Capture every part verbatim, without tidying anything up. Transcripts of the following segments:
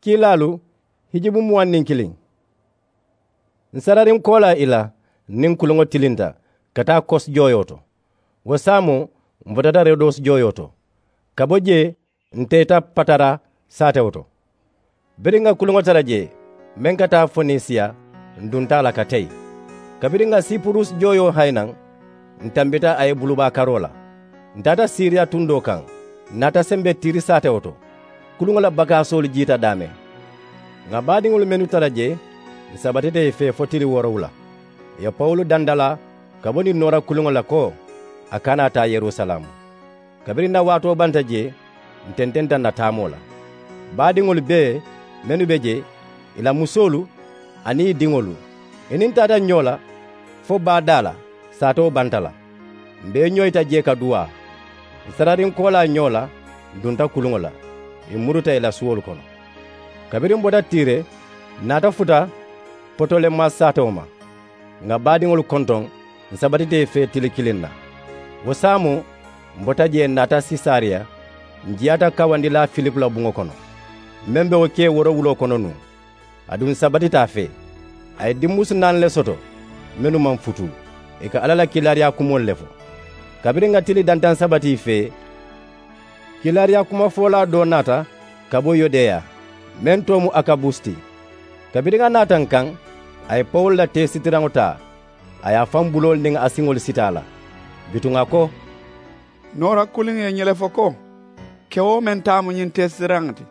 Kiilaalu hijubu muwaŋ niŋ kiliŋ. Ǹ sarariŋ koolaa i la niŋ kuluŋo tilinta ka taa kosi jooyoo to. Wo saamoo, m̀ botata rodosi jooyoo to. Ka bo jee, ǹ teeta patara saatewo to. Biriŋ ŋa kuluŋo tara jee meŋ ka taa fonisiya, ǹ dunta a la ka teyi. Kabiriŋ ŋa sipurusi jooyoo hayi naŋ, ǹ tambita a ye bulubaa karoo la. Ǹ taata siriya tundoo kaŋ, ǹ naata sembe tiiri saatewo to. Kuluŋo la bakaasoolu jiita daameŋ. Ŋà baadiŋolu mennu tara jee, ǹ sabatita ì fee fo tili woorowula. Ì ye pawulu dandalaa ka bo niŋ noora kuluŋo la ko a kana a taa yerusalaamu. Kabiriŋ ǹ na waatoo banta jee, ǹ tententa ǹ na taamoo la. Baadiŋolu bee mennu be jee, ì la musoolu aniŋ ì diŋolu, ì niŋ ǹ taata ñoo la fo baa daa la, saatoo banta la. M̀ be ì ñoyita jee ka duwaa. Ǹ sarariŋ koolaa ñoo la, ǹ dunta kuluŋo la, ì muruta ì la suwolu kono. Kabiriŋ ǹ bota tiire, ǹ naata futa potolemas saatewo ma. Ŋà baadiŋolu kontoŋ, ǹ sabatita ì fee tili kiliŋ na. Wo saamoo, ǹ bota jee ǹ naata sesariya. Ǹ jiyaata kawandilaa filipu la buŋo kono, meŋ be wo kee woorowuloo kono nuŋ. Aduŋ ǹ sabatita a fee. A ye dimmusu naani le soto, mennu maŋ futuu. Ì ka alla la kiilaariyaa kumoolu le fo. Kabiriŋ ŋa tili dantaŋ sabati ì fee, kiilaariyaa kumafoolaa doo naata ka bo yudeya, meŋ too mu akabus ti. Kabiriŋ a naata ǹ kaŋ, a ye pawulu la teesitiraŋo taa, a ye a faŋ buloolu niŋ a siŋolu siti a la. Bituŋ a ko, noora kuliŋo ye ñiŋ le fo ko, kewo meŋ taa mu ñiŋ teesitiraŋo ti,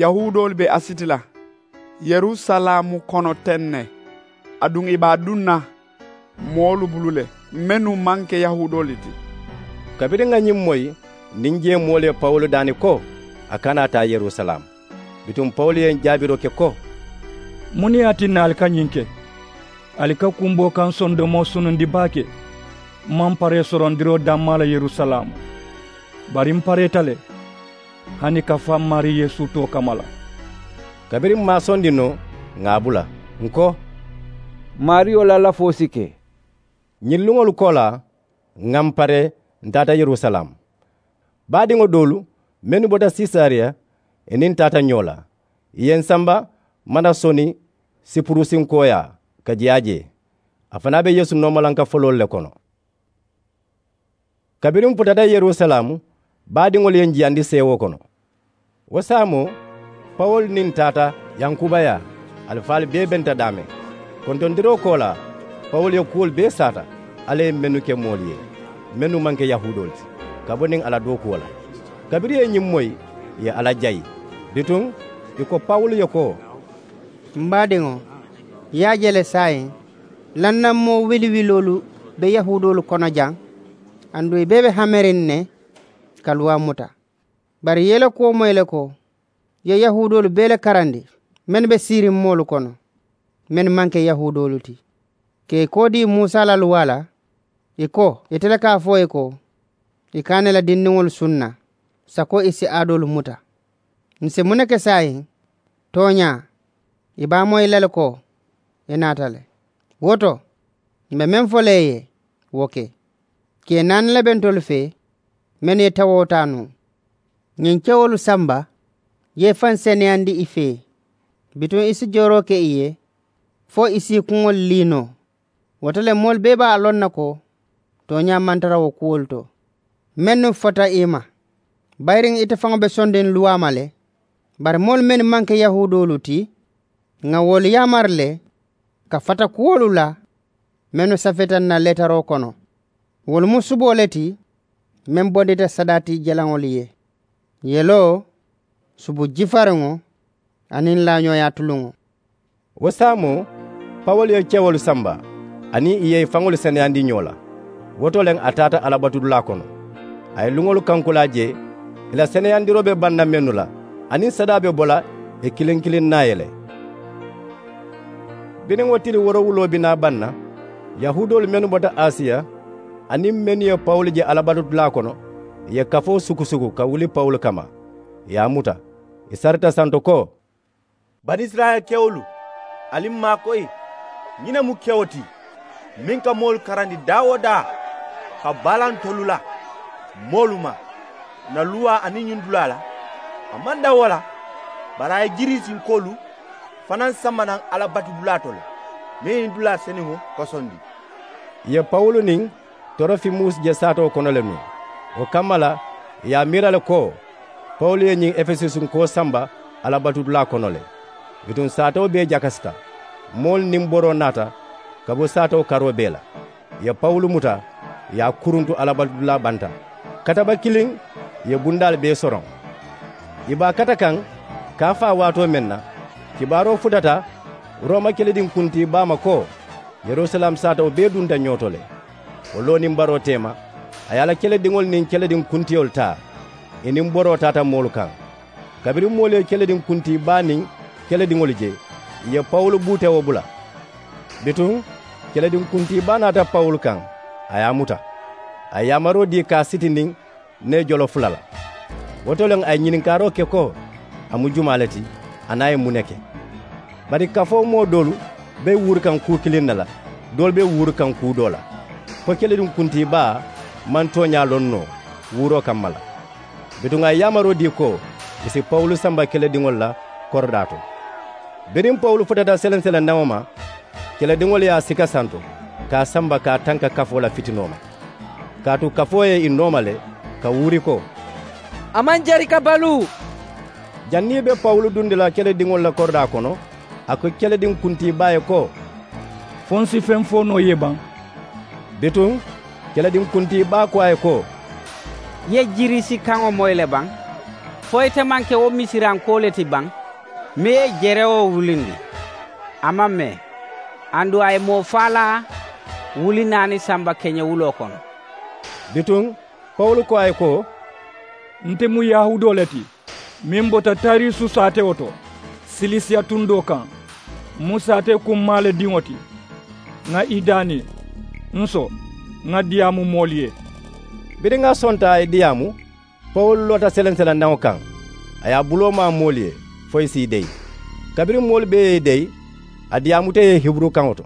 yahuudoolu be a siti la yerusalaamu kono teŋ ne, aduŋ ì be a duŋ na moolu bulu le, mennu maŋ ke yahuudoolu ti. Kabiriŋ ŋa ñiŋ moyi, niŋ jee moolu ye pawulu daani ko a kana a taa yerusalaamu. Bituŋ pawulu ye ǹ jaabiroo ke ko, muŋ ne ye a tinna ali ka ñiŋ ke? Ali ka kumboo kaŋ sondomoo sunundi baake. M̀ maŋ paree sorondiroo dammaa la yerusalaamu, bari m̀ pareeta le hani ka faa m̀ maarii yeesu too kamma la. Kabiriŋ m̀ maŋ a sondi noo, ŋà a bula, ǹ ko, maariyo la lafoo si ke. Ñiŋ luŋolu koolaa, ŋà m̀ paree, ǹ taata yerusalaamu. Baadiŋo doolu mennu bota sesariya, ì niŋ ǹ taata ñoo la. Ì ye ǹ samba manasoni sipurusinkooyaa ka jiyaa jee. A fanaa be yeesu noomalanka foloolu le kono. Kabiriŋ ǹ futata yerusalaamu, baadiŋolu ye ǹ jiyandi seewoo kono. Wo saamoo, pawulu niŋ ǹ taata yankubayaa. Alifaalu bee benta daameŋ. Kontondiroo koolaa, pawulu ye kuwolu bee saata alla ye mennu ke moolu ye, mennu maŋ ke yahuudoolu ti, ka bo niŋ a la dookuwo la. Kabiriŋ ì ye ñiŋ moyi, ì ye alla jayi. Bituŋ, ì ko pawulu ye ko, m baadiŋo, ì ye a je le saayiŋ, lannaŋ moo wiliwiloolu be yahuudoolu kono jaŋ, aduŋ ì bee be hameriŋ ne ka luwaa muta. Bari ì ye i la kuwo moyi le ko, ì ye yahuudoolu bee le karandi mennu be siiriŋ moolu kono, mennu maŋ ke yahuudoolu ti, ka ì koo dii musa la luwaa la. Ì ko, ite le ka a fo ì ye ko, ì kana ì la dindiŋolu sunna sako ì si aadoolu muta. Ǹ si muŋ ne ke saayiŋ? Tooñaa, ì be a moyi la le ko ì naata le. Wo to, m̀ be meŋ fo la ì ye, wo ke. Kee naani le be ntolu fee mennu ye tewoo taa nuŋ. Ñiŋ kewolu samba ye i faŋ seneyandi i fee. Bituŋ i si jooroo ke i ye fo i si i kuŋolu lii noo. Wo to le moolu bee be a loŋ na ko tooñaa maŋ tara wo kuwolu to mennu fota i ma. Bayiriŋ ite faŋo be sondiŋ luwaa ma le. Bari moolu mennu maŋ ke yahuudoolu ti, ŋà wolu yaamari le ka fata kuwolu la mennu safeta ǹ na leetaroo kono. Wolu mu suboo le ti meŋ bondita sadaati jalaŋolu ye, yeloo, subu jifariŋo, aniŋ laañooyaa tuluŋo. Wo saamoo, pawulu ye kewolu samba aniŋ ì ye i faŋolu seneyandi ñoo la. Wo to le a taata alabatudulaa kono. A ye luŋolu kankulaa jee, ì la seneyandiroo be baŋ na mennu la aniŋ sadaa be bo la ì kiliŋ kiliŋ naa ye le. Biriŋ wo tili woorowuloo bi naa baŋ na, yahuudoolu mennu bota asiya aniŋ mennu ye pawulu je alabatudulaa kono, ì ye kafoo sukusuku ka wuli pawulu kamma. Ì ye a muta, ì sarita santo ko, banisirayila kewolu, ali m maakoyi. Ñiŋ ne mu kewo ti meŋ ka moolu karandi daa-wo-daa ka baalantolu la moolu ma ǹ na luwaa aniŋ ñiŋ dulaa la. A maŋ daŋ wo la, Bari a ye jiriisinkoolu fanaŋ samba naŋ alla batudulaa to le, meŋ ye ñiŋ dulaa senuŋo kosondi. Ì ye pawulu niŋ torofimusi je saatoo kono le nuŋ. Wo kamma la ì ye a miira le ko pawulu ye ñiŋ efesusunkoo samba alla batudulaa kono le. Bituŋ saatoo bee jakasita, moolu niŋ boroo naata ka bo saatoo karoo bee la. Ì ye pawulu muta, ì ye a kuruntu alla batudulaa banta. Kataba kiliŋ ì ye bundaalu bee soroŋ. Ì be a kata kaŋ kaafaa waatoo meŋ na, kibaaroo futata roma kelediŋ kuntii baa ma ko, yerusalem saatoo bee dunta ñoo to le. Wo loo niŋ baroo teema, a ye a la kelediŋolu niŋ kelediŋ kuntiyolu taa, ì niŋ boroo taata moolu kaŋ. Kabiriŋ moolu ye kelediŋ kuntii baa niŋ kelediŋolu je, ì ye pawulu buutewoo bula. Bituŋ kelediŋ kuntii baa naata pawulu kaŋ, a ye a muta. A ye yaamaroo dii ka a sitindi nee jolo fula la. Wo to le a ye ñininkaaroo ke ko, a mu jumaa le ti, aniŋ a ye muŋ ne ke? Bari kafoo moo doolu be wuuri kaŋ kuu kiliŋ ne la, doolu be wuuri kaŋ kuu doo la, fo kelediŋ kuntii baa maŋ tooñaa loŋ noo wuuroo kamma la. Bituŋ a ye yaamaroo dii ko, ì si pawulu samba kelediŋolu la koridaa to. Biriŋ pawulu futata seleŋ seleŋ naŋo ma, kelediŋolu ye a sika santo ka a samba ka a tanka kafoo la fitinoo ma. Kaatu kafoo ye ì nooma le ka wuuri ko, a maŋ jari ka baluu. Janniŋ ì be pawulu dundi la kelediŋolu la koridaa kono, a ko kelediŋ kuntii baa ye ko, fo n si feŋ fo noo i ye baŋ? Bituŋ kelediŋ kuntii baa ko a ye ko, i ye jiriisi kaŋo moyi le baŋ? Fo ite maŋ ke wo misirankoo le ti baŋ, meŋ ye jerewoo wulindi? A maŋ mee. Aduŋ a ye moo faalaa wuli naani samba keñewuloo kono. Bituŋ pawulu ko a ye ko, nte mu yahuudoo le ti, meŋ bota tariisu saatewo to silisiya tundoo kaŋ. N mu saatee kummaa le diŋo ti. Ŋà i daani n so ŋà diyaamu moolu ye. Biriŋ a sonta a ye diyaamu, pawulu loota seleŋ seleŋ naŋo kaŋ, a ye a buloo maa moolu ye fo ì si i deyi. Kabiriŋ moolu bee ye i deyi, a diyaamuta ì ye hiburu kaŋo to.